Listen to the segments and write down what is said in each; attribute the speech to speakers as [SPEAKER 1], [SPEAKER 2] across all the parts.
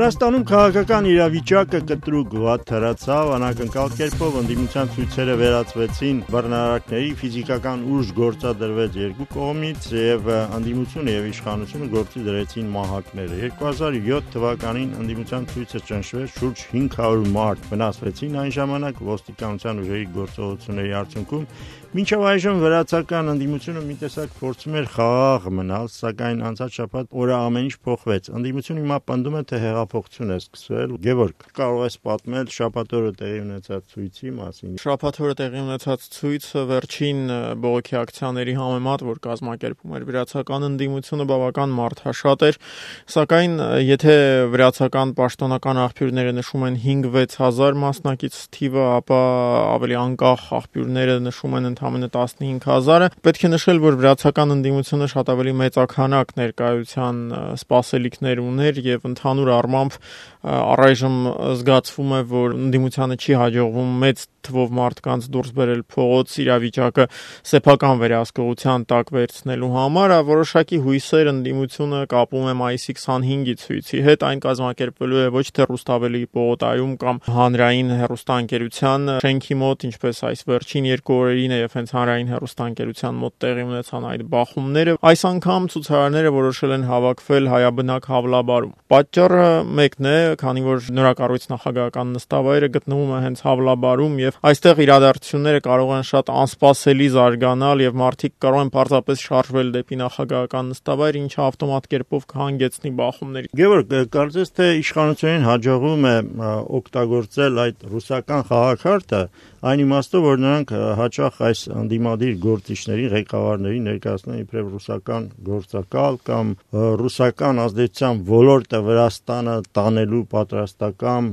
[SPEAKER 1] Վրաստանում քաղաքական իրավիճակը կտրուկ վատթարացավ, անակնկալ կերպով ընդդիմության ցույցերը վերածվեցին բռնարարքների, ֆիզիկական ուժ գործադրվեց երկու կողմից եւ ընդդիմությունը եւ իշխանությունը գործի դրեցին մահակները։ 2007 թվականին ընդդիմության ցույցը ճնշվեց, շուրջ 500 մարդ վնասվեցին այն ժամանակ ոստիկանության ուժերի գործողությունների արդյունքում։ Մինչև այժմ վրացական ընդդիմությունը մի տեսակ փորձում էր խաղաղ մնալ, սակայն անցած շաբաթ օրը ամեն ինչ փոխվեց։ Ընդդիմությունը հիմա պնդում է, թե հեղափոխություն է սկսվել։ Գևորգ, կարող ես պատմել շաբաթ օրը տեղի ունեցած ցույցի մասին։
[SPEAKER 2] Շաբաթ օրը տեղի ունեցած ցույցը վերջին բողոքի ակցիաների համեմատ, որ կազմակերպում էր վրացական ընդդիմությունը, բավական մարդաշատ էր, սակայն եթե վրացական պաշտոնական աղբյուրները նշում են 5-6 հազար մասնակից թիվը, ապա ավելի անկախ աղբյուրները նշում են ընդամենը 15,000-ը, պետք է նշել, որ վրացական ընդդիմությունը շատ ավելի մեծաքանակ ներկայության սպասելիքներ ուներ եւ ընդհանուր առմամբ առայժմ զգացվում է, որ ընդդիմությանը չի հաջողվում մեծ թվով մարդկանց դուրս բերել փողոց, իրավիճակը սեփական վերահսկողության տակ վերցնելու համար, որոշակի հույսեր ընդդիմությունը կապում է մայիսի 25-ի ցույցի հետ, այն կազմակերպվելու է ոչ թե Ռուսթավելի պողոտայում կամ հանրային հեռուստաընկերության շենքի մոտ, ինչպես այս վերջին 2 օրերին եւ հենց հանրային հեռուստաընկերության մոտ տեղի ունեցան այդ բախումները։ Այս անգամ ցուցարարները որոշել են հավաքվել հայաբնակ Հավլաբարում։ Պատճառը մեկն է, քանի որ նորակառույց նախագահական նստավայրը գտնվում է հենց Հավլաբարում եւ այստեղ իրադարձությունները կարող են շատ անսպասելի զարգանալ եւ մարդիկ կարող են պարզապես շարժվել դեպի նախագահական նստավայր, ինչը ավտոմատ կերպով կհանգեցնի բախումների։
[SPEAKER 1] Գևորգ, կարծես թե իշխանությունին հաջողվում է օգտագործել այդ ռուսական խաղաքարտը այն իմաստով, որ նրանք հաճախ այս ընդդիմադիր գործիչների, ղեկավարների ներկայացնում են իբրև ռուսական գործակալ կամ ռուսական ազդեցության ոլորտը Վրաստանը տանելու պատրաստական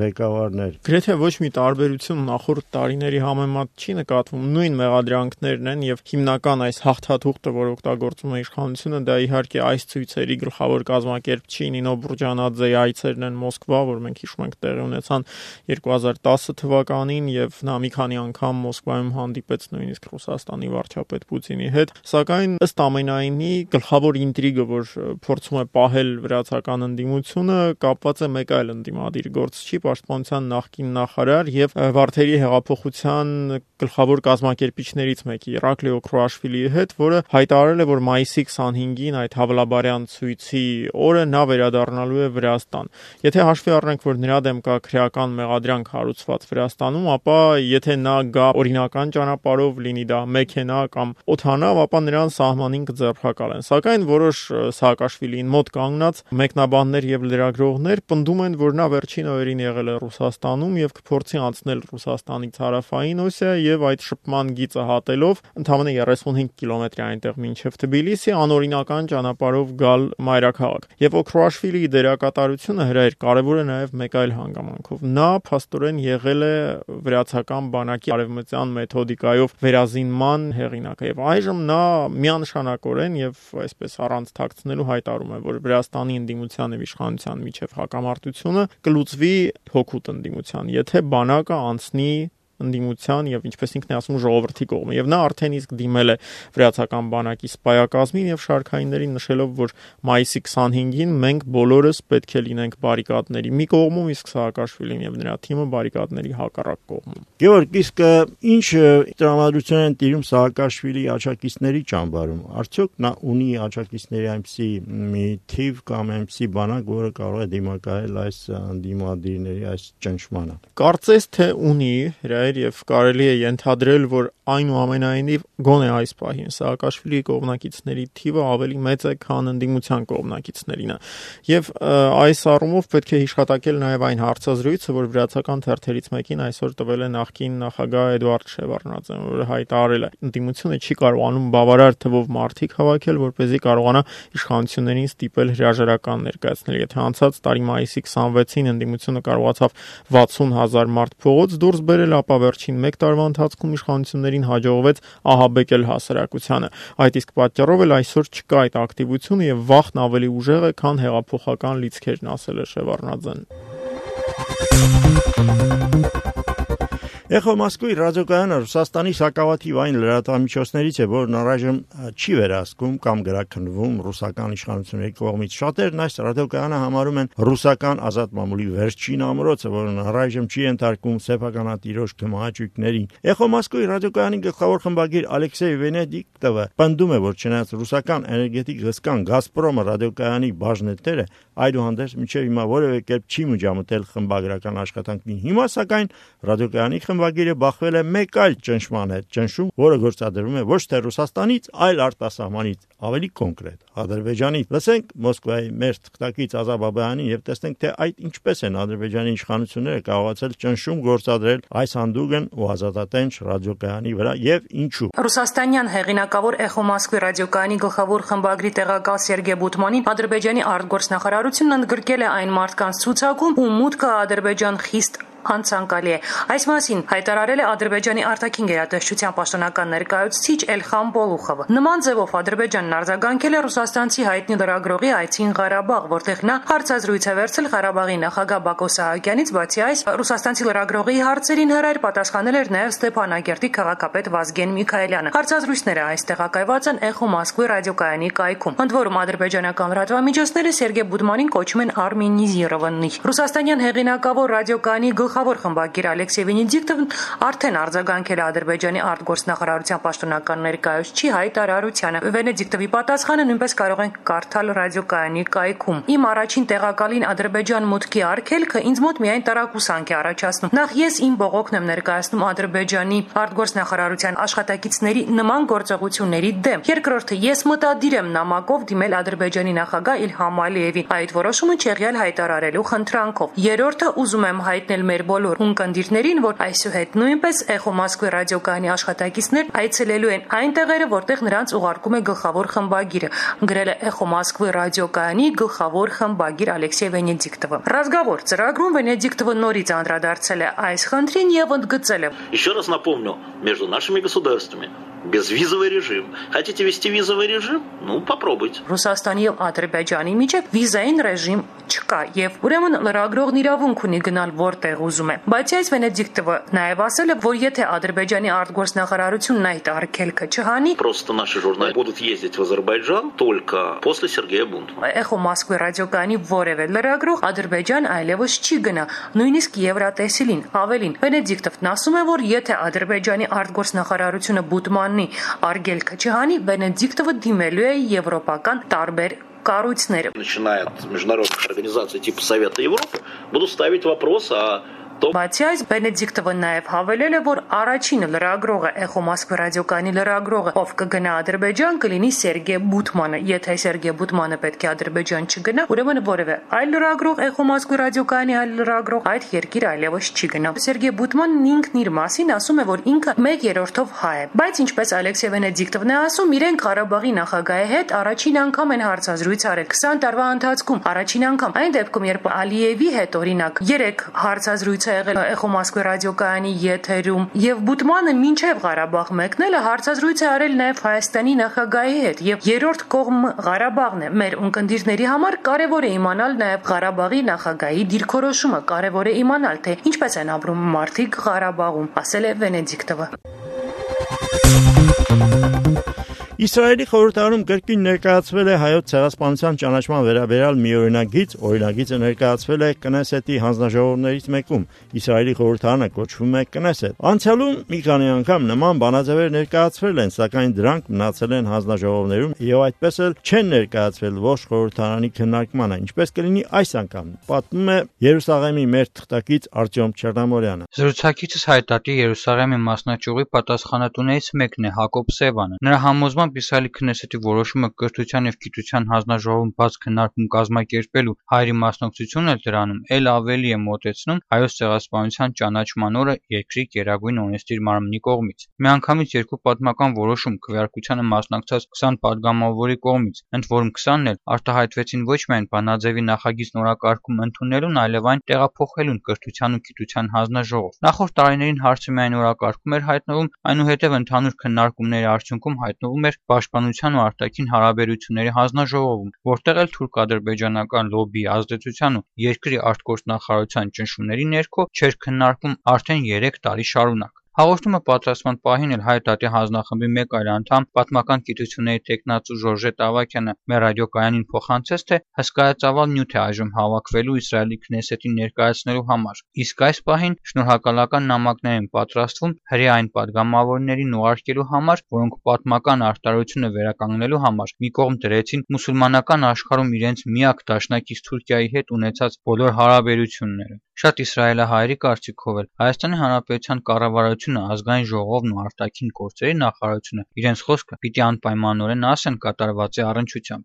[SPEAKER 1] ղեկավարներ։
[SPEAKER 2] Գրեթե ոչ մի տարբերություն նախորդ տարիների համեմատ չի նկատվում, նույն մեղադրանքներն են եւ հիմնական այս հաղթաթուղթը, որ օգտագործում է իշխանությունը, դա իհարկե այս ցույցերի գլխավոր կազմակերպչի Նինո Բուրջանաձեի այցերն են Մոսկվա, որ մենք հիշում ենք տեղի ունեցան 2010 թվականին եւ նա մի քանի անգամ Մոսկվայում հանդիպեց նույնիսկ Ռուսաստանի վարչապետ Պուտինի հետ, սակայն ըստ ամենայնի գլխավոր ինտրիգը, որ փորձում է պահել վրացական ընդդիմությունը, կապված է մեկ այլ ընդդիմադիր գործչի, պաշտպանության նախկին նախարար եւ Վարդերի հեղափոխության գլխավոր կազմակերպիչներից մեկի Իրակլի Օքրուաշվիլիի հետ, որը հայտարարել է, որ մայիսի 25-ին այդ Հավլաբարյան ցույցի օրը նա վերադառնալու է Վրաստան։ Եթե հաշվի առնենք, որ նրա դեմ կա քրեական մեղադրանք հարուցված Վրաստանում, ապա եթե նա գա օրինական ճանապարհով, լինի դա մեքենա կամ օդանավ, ապա նրան սահմանին կձերբակալեն։ Սակայն որոշ Սաակաշվիլիին մոտ կանգնած մեկնաբաններ եւ լրագրողներ պնդում են, որ նա վերջին օրերին եղել է Ռուսաստանում եւ կփորձի անցնել Ռուսաստանից հարավային Օսիա եւ այդ շփման գիծը հատելով ընդամենը 35 կիլոմետրի այնտեղ մինչեւ Թբիլիսի անօրինական ճանապարհով գալ մայրաքաղաք։ Եվ Օքրուաշվիլիի դերակատարությունը հրայր կարևոր է նաեւ մեկ այլ հանգամանքով։ Նա փաստորեն եղել է վրացական բանակի արևմտյան մեթոդիկայով վերազինման հեղինակը եւ այժմ նա միանշանակորեն եւ այսպես առանց թաքցնելու հայտարարում է, որ Վրաստանի ընդդիմության եւ իշխանության միջև հակամարտությունը կլուծվի հօգուտ ընդդիմության, եթե բանակը անցնի ընդդիմության եւ ինչպես ինքն է ասում ժողովրդի կողմը եւ նա արդեն իսկ դիմել է վրացական բանակի սպայակազմին եւ շարքայիններին նշելով, որ մայիսի 25-ին մենք բոլորս պետք է լինենք բարիկադների մի կողմում, իսկ Սաակաշվիլին եւ նրա թիմը բարիկադների հակառակ կողմում։
[SPEAKER 1] Գևորգ, իսկ ինչ տրամադրություն են տիրում Սաակաշվիլի աջակիցների ճամբարում։ Արդյոք նա ունի աջակիցների այնպիսի մի թիվ կամ այնպիսի բանակ, որը կարող է դիմակայել այս ընդդիմադիրների այս ճնշմանը։
[SPEAKER 2] Կարծես թե ունի եւ կարելի է ենթադրել, որ այնուամենայնիվ գոնե այս պահին Սաակաշվիլիի կողմնակիցների թիվը ավելի մեծ է, քան ընդդիմության կողմնակիցներինը։ Եվ այս առումով պետք է հիշատակել նաեւ այն հարցազրույցը, որ վրացական թերթերից մեկին այսօր տվել է նախկին նախագահ Էդուարդ Շևարդնաձեն, որը հայտարարել է, ընդդիմությունը չի կարողանում բավարար թվով մարդիկ հավաքել, որպեսզի կարողանա իշխանություններին ստիպել հրաժարական ներկայացնել։ Եթե անցած տարի մայիսի 26-ին ընդդիմությունը կարողացավ 60,000 մարդ փողոց դուրս բերել, ապա վերջին 1 տարվա ընթացքում իշխանություններին հաջողվեց ահաբեկել հասարակությանը։ Այդ իսկ պատճառով էլ այսօր չկա այդ ակտիվությունը եւ վախն ավելի ուժեղ է, քան հեղափոխական լիցքերն, ասել է Շևարդնաձեն։
[SPEAKER 1] Էխո Մոսկվայի ռադիոկայանը Ռուսաստանի սակավաթիվ այն լրատվամիջոցներից է, որն առայժմ չի վերահսկում կամ գրաքննվում ռուսական իշխանությունների կողմից։ Շատերն այս ռադիոկայանը համարում են ռուսական ազատ մամուլի վերջին ամրոցը, որն առայժմ չի ենթարկվում սեփականատիրոջ գմահաճույքներին։ Էխո Մոսկվայի ռադիոկայանի գլխավոր խմբագիր Ալեքսեյ Վենեդիկտովը պնդում է, որ չնայած ռուսական էներգետիկ հսկան Գազպրոմը ռադիոկայանի բաժնետերը, այդուհանդերձ մինչև հիմա որևէ կերպ չի միջամտել խմբագրական աշխատանքին։ Հիմա սակայն ռադիոկայանի խմբագիրը բախվել է մեկ այլ ճնշման հետ, ճնշում, որը գործադրվում է ոչ թե Ռուսաստանից, այլ արտասահմանից, ավելի կոնկրետ Ադրբեջանից։ Լսենք Մոսկվայի մեր թղթակից Ազա Բաբայանին եւ տեսնենք, թե այդ ինչպես են Ադրբեջանի իշխանությունները կարողացել ճնշում գործադրել այս հանդուգն ու ազատատենչ ռադիոկայանի վրա եւ ինչու։
[SPEAKER 3] Ռուսաստանյան հեղինակավոր Էխո Մոսկվի ռադիոկայանի գլխավոր խմբագրի տեղակալ Սերգեյ Բուտմանին Ադրբեջանի արտգործնախարարությունն ընդգրկել է այն մարդկանց ցուցակում, ում մուտքը Ադրբեջան խիստ անցանկալի է։ Այս մասին հայտարարել է Ադրբեջանի արտաքին գերատեսչության պաշտոնական ներկայացուցիչ Էլխան Պոլուխովը։ Նման ձևով Ադրբեջանն արձագանքել է ռուսաստանցի հայտնի լրագրողի այցին Ղարաբաղ, որտեղ նա հարցազրույց է վերցել Ղարաբաղի նախագահ Բակո Սահակյանից, բացի այս ռուսաստանցի լրագրողի հարցերին հրայր պատասխանել էր նաև Ստեփանագերտի քաղաքապետ Վազգեն Միքայելյանը։ Հարցազրույցները այս տեղակայված են Էխո Մոսկվի ռադիոկայանի կայքում։ Ընդ որում ադրբեջանական լրատվամիջոցները Սերգեյ Բուտմանին կոչում են Արմենիզիրովնի։ Ռուսաստանյան հեղինակավոր ռադիոկայանի գլխավոր խմբագիր Ալեքսեյ Վենեդիկտովն արդեն արձագանքել է Ադրբեջանի արտգործնախարարության պաշտոնական ներկայացուցչի հայտարարությանը։ Վենեդիկտովի պատասխանը նույնպես կարող ենք կարդալ ռադիոկայանի կայքում։ Իմ առաջին տեղակալին Ադրբեջան մուտքի արգելքը ինձ մոտ միայն տարակուսանք է առաջացնում։ Նախ ես իմ բողոքն եմ ներկայացնում Ադրբեջանի արտգործնախարարության աշխատակիցների նման գործողությունների դեմ։ Երկրորդը, ես մտադիր եմ նամակով դիմել Ադրբեջանի նախագահ Իլհամ Ալիևին այդ որոշումը չեղյալ հայտարարելու խնդրանքով։ Երրորդը, ուզում եմ հայտնել մեր բոլոր ունկնդիրներին, որ այսուհետ նույնպես Էխո Մոսկվի ռադիոկայանի աշխատակիցներ այցելելու են այն տեղերը, որտեղ նրանց ուղարկում է գլխավոր խմբագիրը, գրել է Էխո Մոսկվի ռադիոկայանի գլխավոր խմբագիր Ալեքսեյ Վենեդիկտովը։ Ռազգավոր ծրագրում Վենեդիկտովը նորից անդրադարձել է այս խնդրին եւ ընդգծել է.
[SPEAKER 4] Еще раз напомню, между нашими государствами безвизовый режим. Хотите вести визовый режим? Ну, попробуйте.
[SPEAKER 3] Ռուսաստանի եւ Ադրբեջանի միջև վիզային ռեժիմ չկա եւ ուրեմն լրագրողն իրավունք ունի գնալ որտեղ ուզում է։ Բայց այս Վենեդիկտովը նաեւ ասել է, որ եթե Ադրբեջանի արտգործնախարարությունն այդ արգելքը չհանի,
[SPEAKER 4] просто наши журналисты будут ездить в Азербайджан только после Сергея Бунтмана.
[SPEAKER 3] Էխո Մոսկվի ռադիոկայանի որևէ լրագրող Ադրբեջան այլևս չի գնա, նույնիսկ Եվրատեսիլին։ Ավելին, Վենեդիկտովն ասում է, որ եթե Ադրբեջանի արտգործնախարարությունը Բուտմաննի արգելքը չհանի, Վենեդիկտովը դիմելու է եվրոպական տարբեր կառույցներ։
[SPEAKER 4] Начиная от международных организаций типа Совета Европы, будут ставить вопрос о
[SPEAKER 3] Բացի այս, Վենեդիկտովը նաև հավելել է, որ առաջին լրագրողը Էխո Մոսկվի ռադիոկայանի լրագրողը, ով կգնա Ադրբեջան, կլինի Սերգեյ Բուտմանը։ Եթե Սերգեյ Բուտմանը պետք է Ադրբեջան չգնա, ուրեմն որևէ այլ լրագրող Էխո Մոսկվի ռադիոկայանի այլ լրագրող այդ երկիր այլևս չի գնա։ Սերգեյ Բուտմանն ինքն իր մասին ասում է, որ ինքը 1/3 հայ է, բայց ինչպես Ալեքսեյ Վենեդիկտովն է ասում, իրենք Ղարաբաղի նախագահի հետ առաջին անգամ են հարցազրույց արել 20 տարվա ընթացքում, առաջին անգամ։ Այն դեպքում, երբ Ալիևի հետ օրինակ 3 հարցազրույց եղել Էխո Մոսկվի ռադիոկայանի եթերում եւ Բուտմանը մինչեւ Ղարաբաղ մեկնելը հարցազրույց է արել նաեւ Հայաստանի նախագահի հետ եւ երրորդ կողմ Ղարաբաղն է։ Մեր ունկնդիրների համար կարեւոր է իմանալ նաեւ Ղարաբաղի նախագահի դիրքորոշումը, կարեւոր է իմանալ թե ինչպես են ապրում մարդիկ Ղարաբաղում, ասել է Վենեդիկտովը։
[SPEAKER 1] Իսրայելի խորհրդարանում կրկին ներկայացվել է հայոց ցեղասպանության ճանաչման վերաբերյալ մի օրինագիծ, օրինագիծը ներկայացվել է Կնեսետի հանձնաժողովներից մեկում։ Իսրայելի խորհրդարանը կոչվում է Կնեսետ։ Անցյալում մի քանի անգամ նման բանաձևեր ներկայացվել են, սակայն դրանք մնացել են հանձնաժողովներում եւ այդպես էլ չեն ներկայացվել ողջ խորհրդարանի քննարկմանը, ինչպես կլինի այս անգամ, պատմում է Երուսաղեմի մեր թղթակից Արտյոմ Չեռնամորյանը։
[SPEAKER 5] Զրուցակիցս հայտարարի Երուսաղեմի մասնաճյուղի պատասխանատուներից մեկն է Հակոբ Սևանը։ Նրա համոզմամբ Իսրայելի Քնեսետի որոշումը կրթության եւ գիտության հանձնաժողովում բաց քննարկում կազմակերպելու հայերի մասնակցությունը դրանում էլ ավելի է մոտեցնում հայոց ցեղասպանության ճանաչման օրը երկրի գերագույն օրենսդիր մարմնի կողմից։ Միանգամից երկու պատմական որոշում քվեարկությանը մասնակցած 20 падգամավորի կողմից, ընդ որում 20-ն էլ արտահայտվեցին ոչ միայն բանաձևի նախագիծ նորակարգում ընդունելուն, այլև այն տեղափոխելուն կրթության ու գիտության հանձնաժողով։ Նախորդ տարիներին հարցը միայն օրակարգում էր հայտնվում, այնուհետև ընդհանուր քննարկումների արդյունքում հայտնվում էր պաշտպանության ու արտաքին հարաբերությունների հանձնաժողովում, որտեղ էլ թուրք-ադրբեջանական լոբբիի ազդեցության ու երկրի արտգործնախարարության ճնշումների ներքո չէր քննարկվում արդեն 3 տարի շարունակ։ Հաղորդումը պատրաստման պահին էլ Հայ Դատի հանձնախմբի մեկ այլ անդամ, պատմական գիտությունների տեխնացու Ժորժետ Ավագյանը մեր ռադիոկայանին փոխանցեց, թե հսկայածավալ նյութ է այժմ հավաքվելու Իսրայելի Քնեսեթին ներկայացնելու համար, իսկ այս պահին շնորհակալական նամակներ են պատրաստվում հրեա այն падգամավորներին ուղարկելու համար, որոնք պատմական արտարությունը վերականգնելու համար մի կողմ դրեցին մուսուլմանական աշխարհում իրենց միակ դաշնակից Թուրքիայի հետ ունեցած բոլոր հարաբերությունները։ Շատ իսրայելահայերի կարծիքով էլ Հայաստանի Հանրապետության կառավարությունը, ազգային ժողովն ու արտաքին գործերի նախարարությունը իրենց խոսքը պիտի անպայմանորեն ասեն կատարված է առնչությամբ։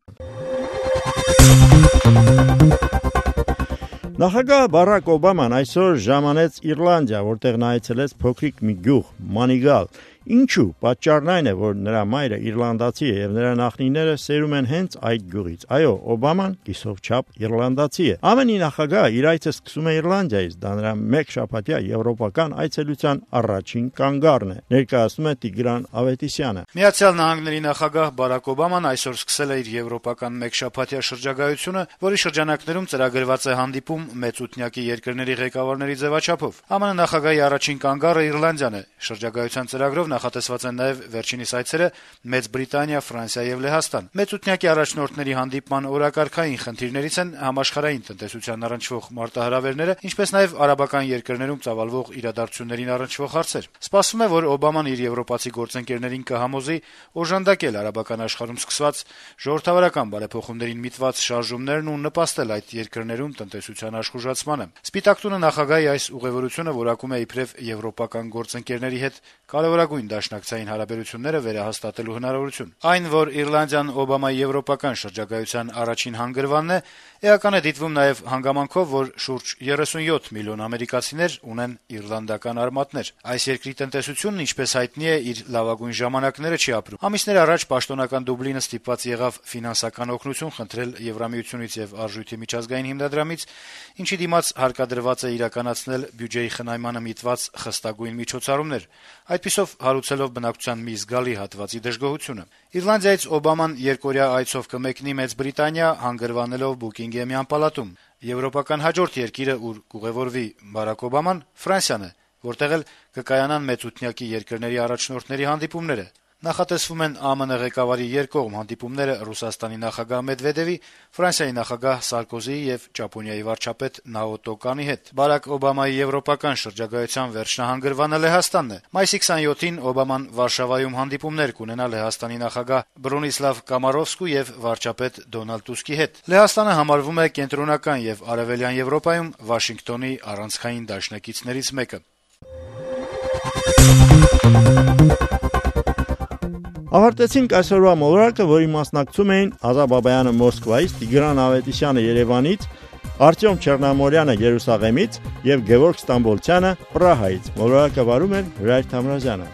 [SPEAKER 1] Նախագահ Բարակ Օբաման այսօր ժամանեց Իռլանդիա, որտեղ նա այցելեց փոքրիկ մի գյուղ Մանիգալ։ Ինչու? Պատճառն այն է, որ նրա մայրը իռլանդացի է եւ նրա նախնիները սերում են հենց այդ գյուղից։ Այո, Օբաման կիսով չափ իռլանդացի է։ ԱՄՆ-ի նախագահը իր այցը սկսում է Իռլանդիայից, դա նրա մեկ շաբաթյա եվրոպական այցելության առաջին կանգառն է, ներկայացնում է Տիգրան Ավետիսյանը։
[SPEAKER 6] Միացյալ Նահանգների նախագահ Բարակ Օբաման այսօր սկսել է իր եվրոպական մեկ շաբաթյա շրջագայությունը, որի շրջանակներում ծրագրված է հանդիպում մեծութնյակի երկրների ղեկավարների ձևաչափով։ ԱՄՆ նախագահի առաջին կանգառը Իռլանդիան է։ Շրջագայության ծրագրով նախատեսված են նաև վերջինիս այցերը Մեծ Բրիտանիա, Ֆրանսիա եւ Լեհաստան։ Մեծութնյակի առաջնորդների հանդիպման օրակարգային խնդիրներից են համաշխարհային տնտեսության առնչվող մարտահրավերները, ինչպես նաև արաբական երկրներում ծավալվող իրադարձություններին առնչվող հարցեր։ Սպասվում է, որ Օբաման իր եվրոպացի գործընկերներին կհամոզի օժանդակել արաբական աշխարհում սկսված ժողովրդավարական բարեփոխումներին միտված շարժումներն ու նպաստել այդ երկրներում տնտեսության աշխուժացմանը։ Սպիտակ տունը նախագահի այս ուղևորությունը որակում է իբրև եվրոպական գործընկերների հետ կարևորագույն դաշնակցային հարաբերությունները վերահաստատելու հնարավորություն։ Այն, որ Իռլանդիան Օբամայի եվրոպական շրջագայության առաջին հանգրվանն է, էական է դիտվում նաև հանգամանքով, որ շուրջ 37 միլիոն ամերիկացիներ ունեն իռլանդական արմատներ։ Այս երկրի տնտեսությունն, ինչպես հայտնի է, իր լավագույն ժամանակները չի ապրում։ Ամիսներ առաջ պաշտոնական Դուբլինը ստիպված եղավ ֆինանսական օգնություն խնդրել Եվրամիությունից եւ Արժույթի միջազգային հիմնադրամից, ինչի դիմաց հարկադրված է իրականացնել բյուջեի խնայմանը միտված խստագույն միջոցառումներ, այդպիսով հարուցելով բնակչության մի զգալի հատվածի դժգոհությունը։ Իռլանդիայից Օբաման երկօրյա այցով կմեկնի Մեծ Բրիտանիա, հանգրվանելով Բուքինգհեմյան պալատում։ Եվրոպական հաջորդ երկիրը, ուր կուղևորվի Բարակ Օբաման, Ֆրանսիան է, որտեղ էլ կկայանան մեծութնյակի երկրների առաջնորդների հանդիպումները։ Նախատեսվում են ԱՄՆ ղեկավարի երկկողմ հանդիպումները Ռուսաստանի նախագահ Մեդվեդևի, Ֆրանսիայի նախագահ Սարկոզիի եւ Ճապոնիայի վարչապետ Նաոտո Կանի հետ։ Բարակ Օբամայի եվրոպական շրջագայության վերջնահանգրվանը Լեհաստանն է։ Մայիսի 27-ին Օբաման Վարշավայում հանդիպումներ կունենա Լեհաստանի նախագահ Բրոնիսլավ Կամարովսկու եւ վարչապետ Դոնալդ Տուսկի հետ։ Լեհաստանը համարվում է կենտրոնական եւ արևելյան Եվրոպայում Վաշինգտոնի առանցքային դաշնակիցներից մեկը։
[SPEAKER 1] Ավարտեցինք այսօրվա մոլորակը, որի մասնակցում էին Ազա Բաբայանը Մոսկվայից, Տիգրան Ավետիսյանը Երևանից, Արտյոմ Չեռնամորյանը Երուսաղեմից եւ Գևորգ Ստամբոլցյանը Պրահայից։ Մոլորակը վարում էր Հրայր Թամրազյանը։